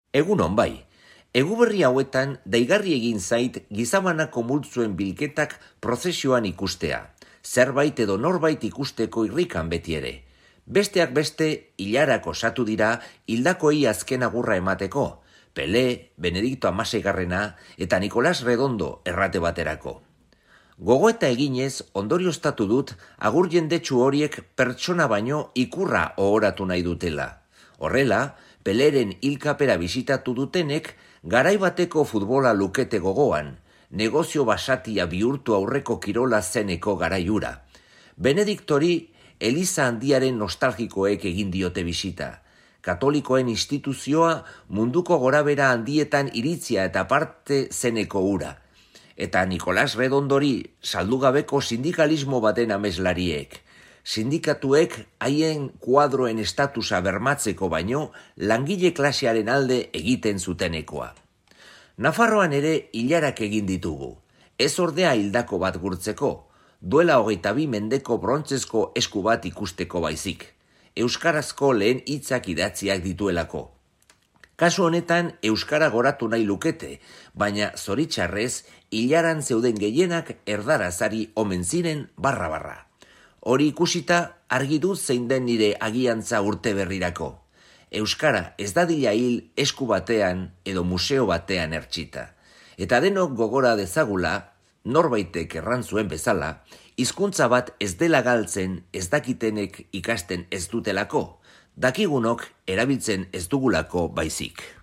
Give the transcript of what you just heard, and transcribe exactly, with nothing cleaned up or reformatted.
Egunon bai, eguberri hauetan daigarri egin zait gizabanako multzuen bilketak prozesioan ikustea, zerbait edo norbait ikusteko irrikan beti ere. Besteak beste, hilarak osatu dira hildakoei azken agurra emateko, Pele, Benedikto hamaseigarrena eta Nikolas Redondo errate baterako. Gogoeta eginez ondorioztatu dut agur jendetsu horiek pertsona baino ikurra ohoratu nahi dutela. Horrela, Peleren hilkapera bisitatu dutenek garai bateko futbola lukete gogoan, negozio basatia bihurtu aurreko kirola zeneko garaiura. Benediktori Eliza handiaren nostalgikoek egin diote bisita. Katolikoen instituzioa munduko gorabera handietan iritzia eta parte zeneko ura. Eta Nikolas Redondori saldugabeko sindikalismo baten ameslariek. Sindikatuek haien kuadroen estatusa bermatzeko baino langile klasearen alde egiten zutenekoa. Nafarroan ere hilarak egin ditugu. Ez ordea hildako bat gurtzeko, duela hogeita bi mendeko brontzezko esku bat ikusteko baizik. Euskarazko lehen hitzak idatziak dituelako. Kasu honetan euskara goratu nahi lukete, baina zoritxarrez hilaran zeuden gehienak erdarazari omen ziren barra-barra. Hori ikusita argi dut zein den nire agiantza urte berrirako. Euskara ez dadila hil esku batean edo museo batean ertxita. Eta denok gogora dezagula, norbaitek erran zuen bezala, hizkuntza bat ez dela galtzen ez dakitenek ikasten ez dutelako, dakigunok erabiltzen ez dugulako baizik.